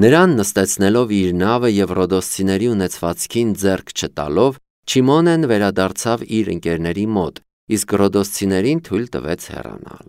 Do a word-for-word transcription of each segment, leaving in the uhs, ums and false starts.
Նրան նստեցնելով իր նավը և ռոդոսցիների ունեցվածքին ձեռք չտալով, Չիմոնեն վերադարձավ իր ընկերների մոտ, իսկ ռոդոսցիներին թույլ տվեց հեռանալ։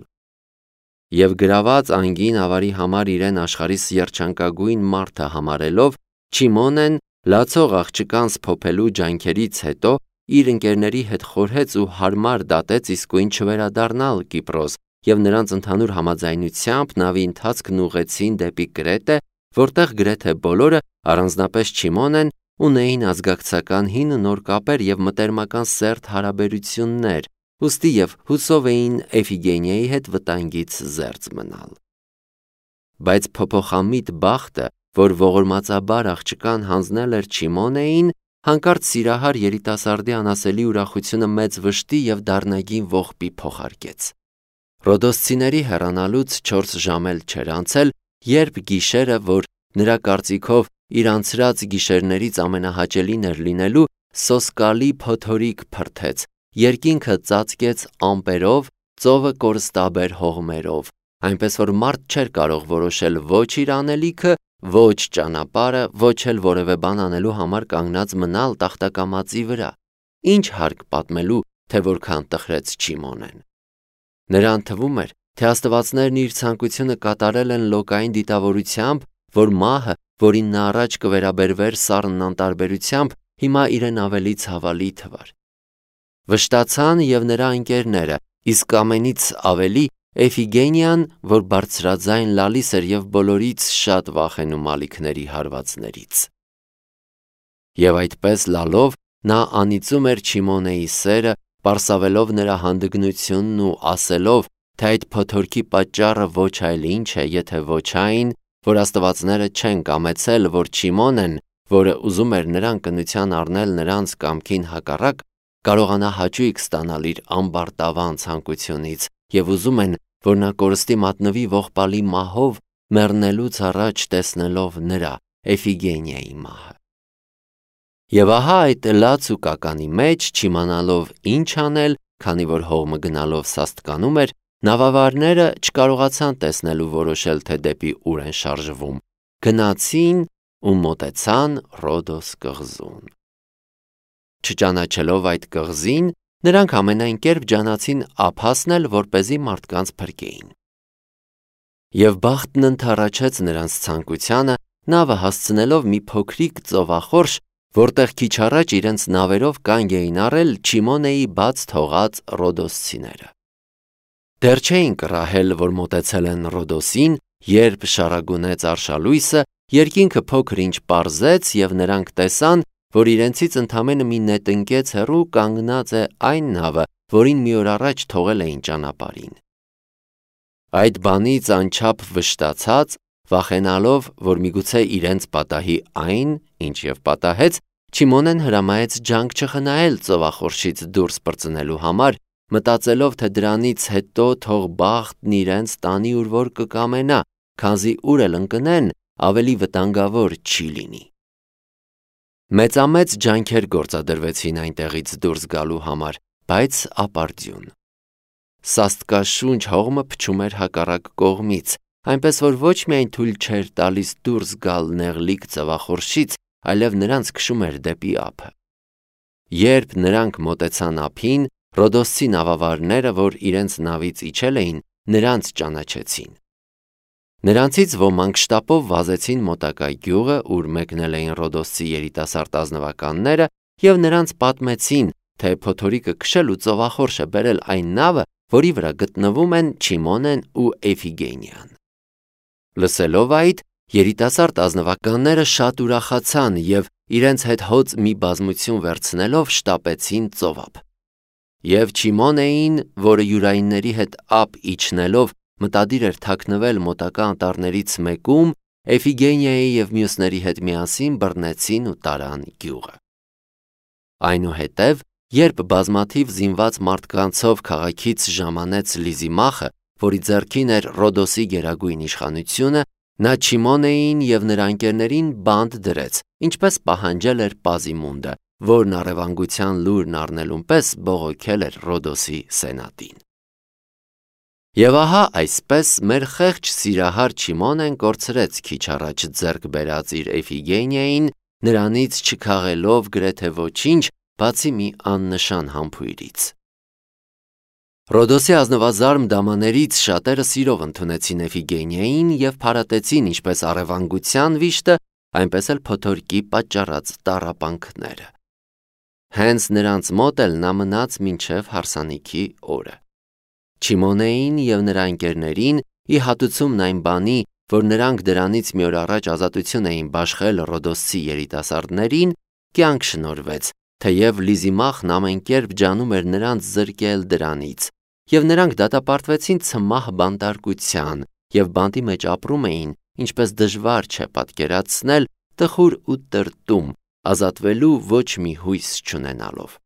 Եվ գրաված անգին ավարի համար իրեն աշխարհիս երջանկագույն մարդը համարելով, Չիմոնեն լացող աղջկան սփոփելու ջանքերից հետո իր ընկերների հետ խորհեց ու հարմար դատեց իսկույն չվերադառնալ Կիպրոս, և նրանց ընդհանուր համաձայնությամբ նավի ընթացքն ուղղեցին դեպի Կրետե, որտեղ գրեթե բոլորը, առանձնապես Չիմոնեն, ունեին ազգակցական հին նոր կապեր և մտերմական սերտ հարաբերություններ, ուստի և հուսով էին Էֆիգենիայի հետ վտանգից զերծ մնալ։ Բայց փոփոխամիտ բախտը, որ ողորմածաբար աղջկան հանձնել էր Չիմոնեին, հանկարծ սիրահար երիտասարդի անասելի ուրախությունը մեծ վշտի և դառնագին ողբի փոխարկեց։ Ռոդոսցիների հեռանալուց չորս ժամ էլ չէր անցել, երբ գիշերը, որ նրա կարծիքով իր անցրած գիշերներից ամենահաճելին էր լինելու, սոսկալի փոթորիկ փրթեց, երկինքը ծածկեց ամպերով, ծովը կորստաբեր հողմերով, այնպես որ մարդ չէր կարող որոշել ոչ իր անելիքը, ոչ ճանապարհը, ոչ էլ որևէ բան անելու համար կանգնած մնալ տախտակամածի վրա։ Ինչ հարկ պատմելու, թե որքան տխրեց Չիմոնեն։ Նրան թվում էր, թե աստվածներն իր ցանկությունը կատարել են լոկային դիտավորությամբ, որ մահը, որին նա առաջ կվերաբերվեր սառն անտարբերությամբ, հիմա իրեն ավելի ցավալի թվար։ Վշտացան և նրա ընկերները, իսկ ամենից ավելի Էֆիգենիան, որ բարձրաձայն լալիս էր և բոլորից շատ վախենում ալիքների հարվածներից։ Եվ այդպես լալով, նա անիծում էր Չիմոնեի սերը, պարսավելով նրա հանդգնությունն ու ասելով, թե այդ փոթորքի պատճառը ոչ այլ ինչ է, եթե ոչ այն, որ աստվածները չեն կամեցել, որ Չիմոնեն, որը ուզում էր նրան կնության առնել նրանց կամքին հակառակ, կարողանա հաճույք ստանալ իր ամբարտավան ցանկությունից, և ուզում են, որ նա կորստի մատնվի ողբալի մահով, մեռնելուց առաջ տեսնելով նրա, Էֆիգենիայի մահը։ Եվ ահա այդ լաց ու կականի մեջ, չիմանալով ինչ անել, քանի որ հողմը գնալով սաստկանում էր, նավավարները չկարողացան տեսնել ու որոշել, թե դեպի ուր են շարժվում, գնացին ու մոտեցան Ռոդոս կղզուն։ Չճանաչելով այդ կղզին, նրանք ամենայն կերպ ջանացին ափ հասնել, որպեսզի մարդկանց փրկեին։ Եվ բախտն ընդառաջեց նրանց ցանկությանը, նավը հասցնելով մի փոքրիկ ծովախորշ, որտեղ քիչ առաջ իրենց նավերով կանգ էին առել Չիմոնեի բաց թողած ռոդոսցիները։ Դեռ չէին կռահել, որ մոտեցել են Ռոդոսին, երբ շարագունեց արշալույսը, երկինքը փոքր-ինչ պարզեց, և նրանք տեսան, որ իրենցից ընդամենը մի նետնկեց հեռու կանգնած է այն նավը, որին մի օր առաջ թողել էին ճանապարհին։ Այդ բանից անչափ վշտացած, վախենալով, որ միգուցե իրենց պատահի այն, ինչ և պատահեց, Չիմոնեն հրամայեց ջանք չխնայել ծովախորշից դուրս պրծնելու համար, մտածելով, թե դրանից հետո թող բախտն իրենց տանի ուր որ կկամենա, քանզի ուր էլ ընկնեն, ավելի վտանգավոր չի լինի։ Մեծամեծ ջանքեր գործադրվեցին այնտեղից դուրս գալու համար, բայց ապարդյուն։ Սաստկաշունչ հողմը փչում էր հակառակ կողմից, այնպես որ ոչ միայն թույլ չէր տալիս դուրս գալ նեղլիկ ծովախորշից, այլև նրանց քշում էր դեպի ափը։ Երբ նրանք մոտեցան ափին, ռոդոսցի նավավարները, որ իրենց նավից իջել էին, նրանց ճանաչեցին։ Նրանցից ոմանք շտապով վազեցին մոտակա գյուղը, ուր մեկնել էին ռոդոսցի երիտասարդ ազնվականները, և նրանց պատմեցին, թե փոթորիկը քշել ու ծովախորշը բերել այն նավը, որի վրա գտնվում են Չիմոնեն ու Էֆիգենիան։ Լսելով այդ, երիտասարդ ազնվականները շատ ուրախացան և իրենց հետ հոծ մի բազմություն վերցնելով շտապեցին ծովափ։ Եվ Չիմոնեին, որը յուրայինների հետ ափ իջնելով մտադիր էր թաքնվել մոտակա անտառներից մեկում, Էֆիգենիայի և մյուսների հետ միասին բռնեցին ու տարան գյուղը։ Այնուհետև, երբ բազմաթիվ զինված մարդկանցով քաղաքից ժամանեց Լիզիմախը, որի ձեռքին էր Ռոդոսի գերագույն իշխանությունը, նա Չիմոնեին և նրա ընկերներին բանտ դրեց, ինչպես պահանջել էր Պազիմունդը, որն առևանգության լուրն առնելուն պես բողոքել էր Ռոդոսի սենատին։ Եվ ահա այսպես մեր խեղճ սիրահար Չիմոնեն կորցրեց քիչ առաջ ձեռք բերած իր Էֆիգենիային, նրանից չքաղելով գրեթե ոչինչ, բացի մի աննշան համբույրից։ Ռոդոսի ազնվազարմ դամաներից շատերը սիրով ընդունեցին Էֆիգենիային և փարատեցին ինչպես առևանգության վիշտը, այնպես էլ փոթորկի պատճառած տառապանքները։ Հենց նրանց մոտ էլ նա մնաց մինչև հարսանիքի օրը։ Չիմոնեին և նրա ընկերներին, ի հատուցումն այն բանի, որ նրանք դրանից մի օր առաջ ազատություն էին բաշխել Ռոդոսցի երիտասարդներին, կյանք շնորհվեց, թեև Լիզիմախն ամեն կերպ ջանում էր նրանց զրկել դրանից, և նրանք դատապարտվեցին ցմահ բանտարկության և բանտի մեջ ապրում էին, ինչպես դժվար չէ պատկերացնել, տխուր ու տրտում, ազատվելու ոչ մի հույս չունենալով։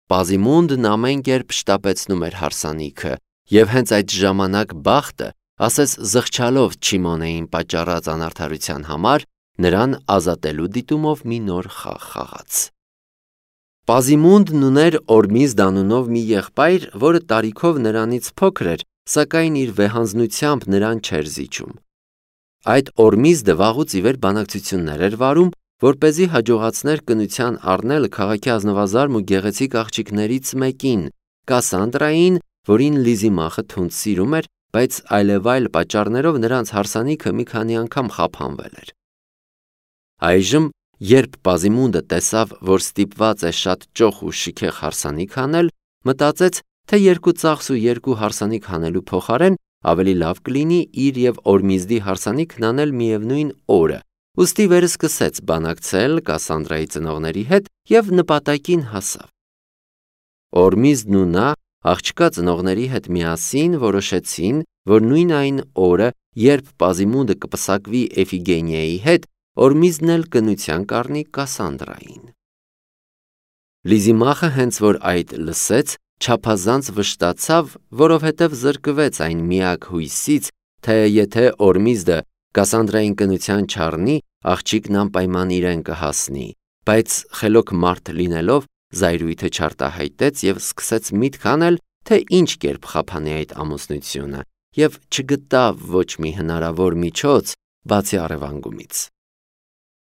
Պազիմունդն ամեն կերպ շտապեցնում էր հարսանիքը, և հենց այդ ժամանակ բախտը, ասես զղջալով Չիմոնեին պատճառած անարդարության համար, նրան ազատելու դիտումով մի նոր խաղ խաղաց։ Պազիմունդն ուներ Օրմիզդ անունով մի եղբայր, որը տարիքով նրանից փոքր էր, սակայն իր վեհանձնությամբ նրան չէր զիջում։ Այդ Օրմիզդը վաղուց ի վեր բանակցություններ էր վարում, որպեսզի հաջողացներ կնության առնել քաղաքի ազնվազարմ ու գեղեցիկ աղջիկներից մեկին, Կասանդրային, որին Լիզիմախը թունդ սիրում էր, բայց այլևայլ պատճառներով նրանց հարսանիքը մի քանի անգամ խափանվել էր։ Այժմ, երբ Պազիմունդը տեսավ, որ ստիպված է շատ ճոխ ու շքեղ հարսանիք անել, մտածեց, թե երկու ծախս ու երկու հարսանիք անելու փոխարեն ավելի լավ կլինի իր և Օրմիզդի հարսանիքն անել միևնույն օրը, ուստի վերսկսեց բանակցել Կասանդրայի ծնողների հետ և նպատակին հասավ։ Օրմիզդն ու նա աղջկա ծնողների հետ միասին որոշեցին, որ նույն այն օրը, երբ Պազիմունդը կպսակվի Էֆիգենիայի հետ, Օրմիզդն էլ կնության կառնի Կասանդրային։ Լիզիմախը հենց որ այդ լսեց, չափազանց վշտացավ, որովհետև զրկվեց այն միակ հույսից, թե եթե Օրմիզդը Կասանդրային կնության չառնի, աղջիկն անպայման իրեն կհասնի, բայց խելոք մարդ լինելով զայրույթը չարտահայտեց և սկսեց միտք անել, թե ինչ կերպ խափանի այդ ամուսնությունը, և չգտավ ոչ մի հնարավոր միջոց, բացի առևանգումից։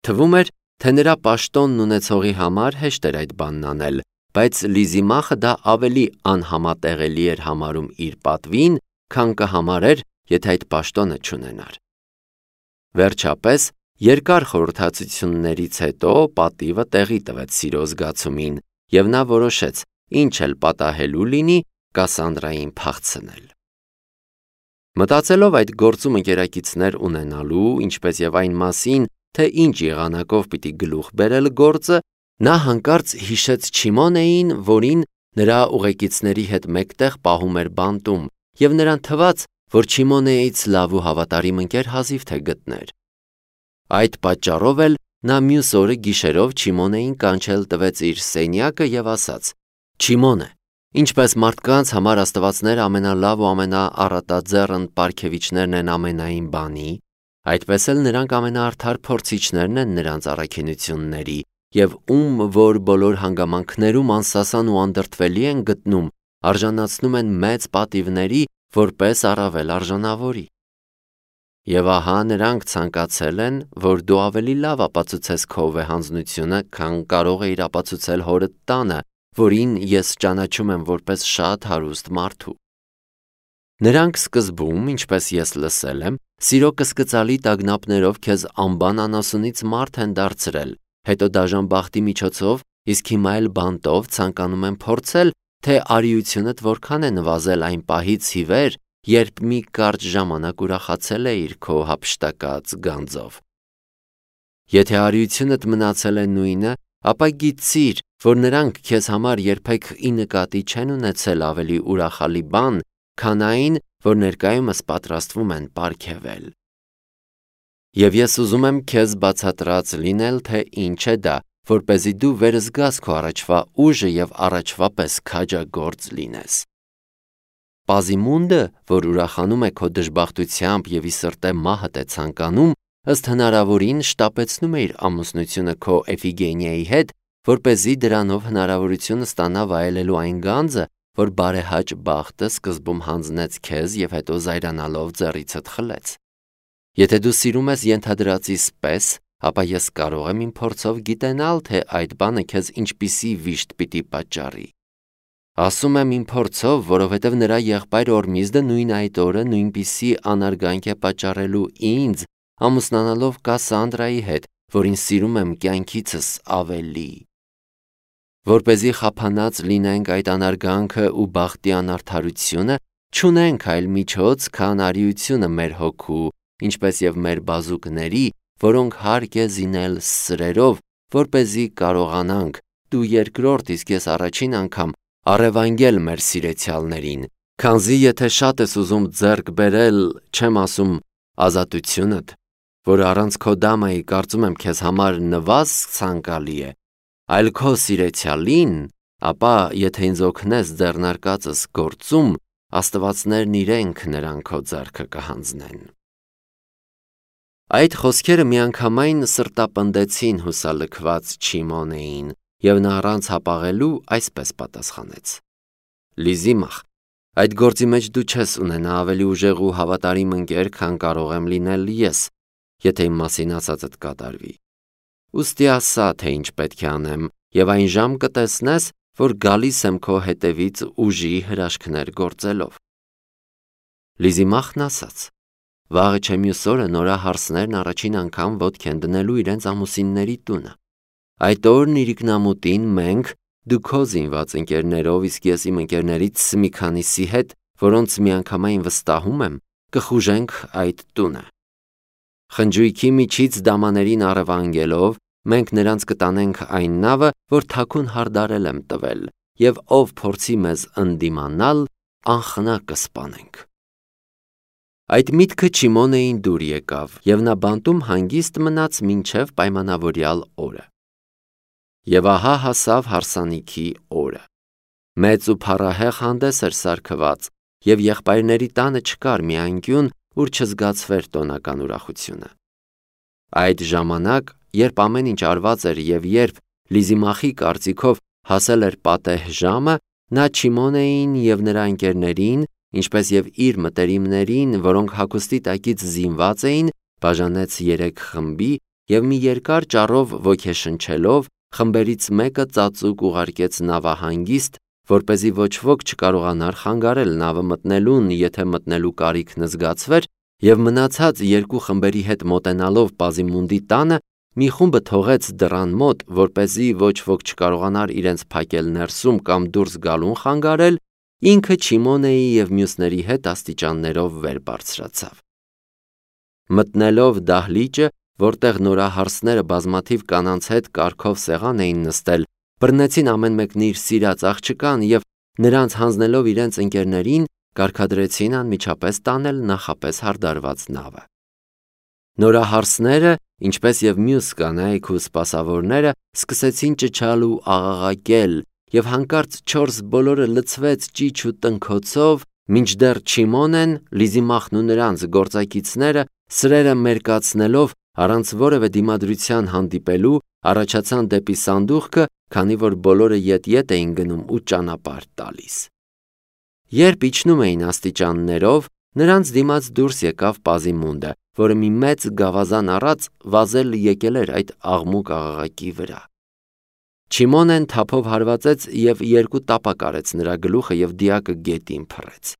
Թվում էր, թե նրա պաշտոնն ունեցողի համար հեշտ էր այդ բանն անել, բայց Լիզիմախը դա ավելի անհամատեղելի էր համարում իր պատվին, քան կհամարեր, եթե այդ պաշտոնը չունենար։ Վերջապես, երկար խորհրդակցություններից հետո պատիվը տեղի տվեց սիրո զգացումին, և նա որոշեց, ինչ էլ պատահելու լինի, Կասանդրային փախցնել։ Մտածելով այդ գործում ընկերակիցներ ունենալու, ինչպես և այն մասին, թե ինչ եղանակով պիտի գլուխ բերել գործը, նա հանկարծ հիշեց Չիմոնեին, որին նրա ուղեկիցների հետ մեկտեղ պահում էր բանտում, և նրան թվաց, որ Չիմոնեից լավ ու հավատարիմ ընկեր հազիվ թե գտներ։ Այդ պատճառով էլ նա մյուս օրը գիշերով Չիմոնեին կանչել տվեց իր սենյակը և ասաց. «Չիմոնե, ինչպես մարդկանց համար աստվածները ամենալավ ու ամենաառատաձեռն պարգևիչներն են ամենայն բանի, այդպես էլ նրանք ամենաարդար փորձիչներն են նրանց առաքինությունների, և ում որ բոլոր հանգամանքներում անսասան ու անդրդվելի են գտնում, արժանացնում են մեծ պատիվների, որպես առավել արժանավորի։ Եվ ահա նրանք ցանկացել են, որ դու ավելի լավ ապացուցես քո վեհանձնությունը, քան կարող էիր ապացուցել հորդ տանը, որին ես ճանաչում եմ որպես շատ հարուստ մարդու։ Նրանք սկզբում, ինչպես ես լսել եմ, սիրո կսկծալի տագնապներով քեզ անբան անասունից մարդ են դարձրել, հետո դաժան բախտի միջոցով, իսկ հիմա էլ բանտով ցանկանում են փորձել, թե արիությունդ որքան է նվազել այն պահից ի վեր, երբ մի կարճ ժամանակ ուրախացել էիր քո հափշտակած գանձով։ Եթե արիությունդ մնացել է նույնը, ապա գիտիր, որ նրանք քեզ համար երբեք ի նկատի չեն ունեցել ավելի ուրախալի բան, քան այն, որ ներկայումս պատրաստվում են պարգևել։ Եվ ես ուզում եմ քեզ բացատրած լինել, թե ինչ է դա, որպեսզի դու վերզգաս քո առաջվա ուժը և առաջվա պես քաջագործ լինես։ Պազիմունդը, որ ուրախանում է քո դժբախտությամբ և ի սրտե մահդ է ցանկանում, ըստ հնարավորին շտապեցնում է իր ամուսնությունը քո Էֆիգենիայի հետ, որպեսզի դրանով հնարավորություն ստանա վայելելու այն գանձը, որ բարեհաճ բախտը սկզբում հանձնեց քեզ և հետո զայրանալով ձեռիցդ խլեց։ Եթե դու սիրում ես ենթադրածիս պես, ապա ես կարող եմ իմ փորձով գիտենալ, թե այդ բանը քեզ ինչպիսի վիշտ պիտի պատճառի։ Ասում եմ իմ փորձով, որովհետև նրա եղբայր Օրմիզդը նույն այդ օրը նույնպիսի անարգանք է պատճառելու ինձ, ամուսնանալով Կասանդրայի հետ, որին սիրում եմ կյանքիցս ավելի։ Որպեսզի խափանած լինենք այդ անարգանքը ու բախտի անարդարությունը, չունենք այլ միջոց, քան արիությունը մեր հոգու, ինչպես և մեր բազուկների, որոնք հարկ է զինել սրերով, որպեսզի կարողանանք, դու երկրորդ, իսկ ես առաջին անգամ առևանգել մեր սիրեցյալներին, քանզի եթե շատ ես ուզում ձեռք բերել, չեմ ասում ազատությունդ, որ առանց քո դամայի կարծում եմ քեզ համար նվազ ցանկալի է, այլ քո սիրեցյալին, ապա եթե ինձ օգնես ձեռնարկածս գործում, աստվածներն իրենք նրան քո ձեռքը կհանձնեն։ Այդ խոսքերը միանգամայն սրտապնդեցին հուսալքված Չիմոնեին, և նա առանց հապաղելու այսպես պատասխանեց. Լիզիմախ, այդ գործի մեջ դու չես ունենա ավելի ուժեղ ու հավատարիմ ընկեր, քան կարող եմ լինել ես, եթե իմ մասին ասածդ կատարվի։ Ուստի ասա, թե ինչ պետք է անեմ, և այն ժամ կտեսնես, որ գալիս եմ քո հետևից ուժի հրաշքներ գործելով։ Լիզիմախն ասաց. Վաղը չէ մյուս օրը նորահարսներն առաջին անգամ ոտք են դնելու իրենց ամուսինների տունը։ Այդ օրն իրիկնամուտին մենք, դու քո զինված ընկերներով, իսկ ես իմ ընկերներից մի քանիսի հետ, որոնց միանգամայն վստահում եմ, կխուժենք այդ տունը։ Խնջույքի միջից դամաներին առևանգելով, մենք նրանց կտանենք այն նավը, որ թաքուն հարդարել եմ տվել, և ով փորձի մեզ ընդդիմանալ, անխնա կսպանենք։ Այդ միտքը Չիմոնեին դուր եկավ, և նա բանտում հանգիստ մնաց մինչև պայմանավորյալ օրը։ Եվ ահա հասավ հարսանիքի օրը։ Մեծ ու փառահեղ հանդես էր սարքված, և եղբայրների տանը չկար մի անկյուն, ուր չզգացվեր տոնական ուրախությունը։ Այդ ժամանակ, երբ ամեն ինչ արված էր և երբ Լիզիմախի կարծիքով հասել էր պատեհ ժամը, նա Չիմոնեին և նրա ընկերներին, ինչպես և իր մտերիմներին, որոնք հագուստի տակից զինված էին, բաժանեց երեք խմբի և մի երկար ճառով ոգեշնչելով, խմբերից մեկը ծածուկ ուղարկեց նավահանգիստ, որպեսզի ոչ ոք չկարողանար խանգարել նավը մտնելուն, եթե մտնելու կարիքն զգացվեր, և մնացած երկու խմբերի հետ մոտենալով Պազիմունդի տանը, մի խումբը թողեց դռան մոտ, որպեսզի ոչ ոք չկարողանար իրենց փակել ներսում կամ դուրս գալուն խանգարել, ինքը Չիմոնեի և մյուսների հետ աստիճաններով վեր բարձրացավ։ Մտնելով դահլիճը, որտեղ նորահարսները բազմաթիվ կանանց հետ կարգով սեղան էին նստել, բռնեցին ամեն մեկն իր սիրած աղջկան և նրանց հանձնելով իրենց ընկերներին, կարգադրեցին անմիջապես տանել նախապես հարդարված նավը։ Նորահարսները, ինչպես և մյուս կանայք ու սպասավորները, սկսեցին ճչալ ու աղաղակել, և հանկարծ չորս բոլորը լցվեց ճիչ ու տնքոցով, մինչդեռ Չիմոնեն, Լիզիմախն ու նրանց գործակիցները, սրերը մերկացնելով, առանց որևէ դիմադրության հանդիպելու, առաջացան դեպի սանդուղքը, քանի որ բոլորը ետ-ետ էին գնում ու ճանապարհ տալիս։ Երբ իջնում էին աստիճաններով, նրանց դիմաց դուրս եկավ Պազիմունդը, որը մի մեծ գավազան առած վազել եկել էր այդ աղմուկ աղաղակի վրա։ Չիմոնեն թափով հարվածեց և երկու տապակ արեց նրա գլուխը և դիակը գետին փռեց։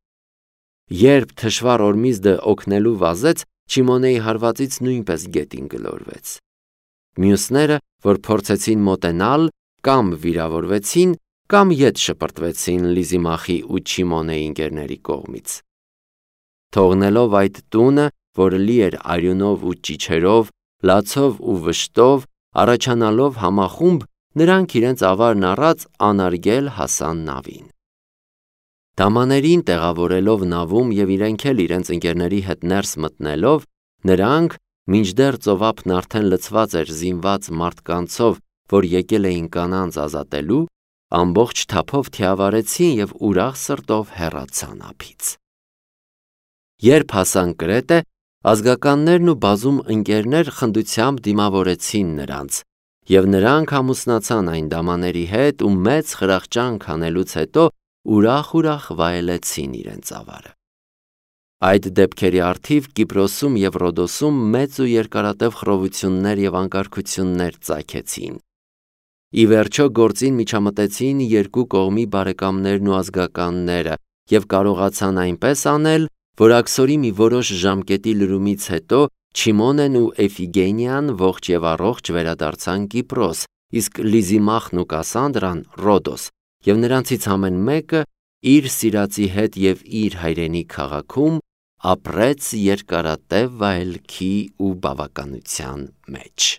Երբ թշվառ Օրմիզդը օգնելու վազեց, Չիմոնեի հարվածից նույնպես գետին գլորվեց։ Մյուսները, որ փորձեցին մոտենալ, կամ վիրավորվեցին, կամ ետ շպրտվեցին Լիզիմախի ու Չիմոնեի ընկերների կողմից։ Թողնելով այդ տունը, որը լի էր արյունով ու ճիչերով, լացով ու վշտով, առաջանալով համախումբ, նրանք իրենց ավարն առած անարգել հասան նավին։ Դամաներին տեղավորելով նավում և իրենք էլ իրենց ընկերների հետ ներս մտնելով, նրանք, մինչդեռ ծովափն արդեն լցված էր զինված մարդկանցով, որ եկել էին կանանց ազատելու, ամբողջ թափով թիավարեցին և ուրախ սրտով հեռացան ափից։ Երբ հասան Կրետե, ազգականներն ու բազում ընկերներ խնդությամբ դիմավորեցին նրանց, և նրանք ամուսնացան այն դամաների հետ ու մեծ խրախճանք անելուց հետո ուրախ-ուրախ վայելեցին իրենց ավարը։ Այդ դեպքերի առթիվ Կիպրոսում և Ռոդոսում մեծ ու երկարատև խռովություններ և անկարգություններ ծագեցին։ Ի վերջո գործին միջամտեցին երկու կողմի բարեկամներն ու ազգականները և կարողացան այնպես անել, որ աքսորի մի որոշ ժամկետի լրումից հետո Չիմոնեն ու Էֆիգենիան ողջ և առողջ վերադարձան Կիպրոս, իսկ Լիզիմախն ու Կասանդրան՝ Ռոդոս, և նրանցից ամեն մեկը իր սիրածի հետ և իր հայրենի քաղաքում ապրեց երկարատև վայելքի ու բավականության մեջ։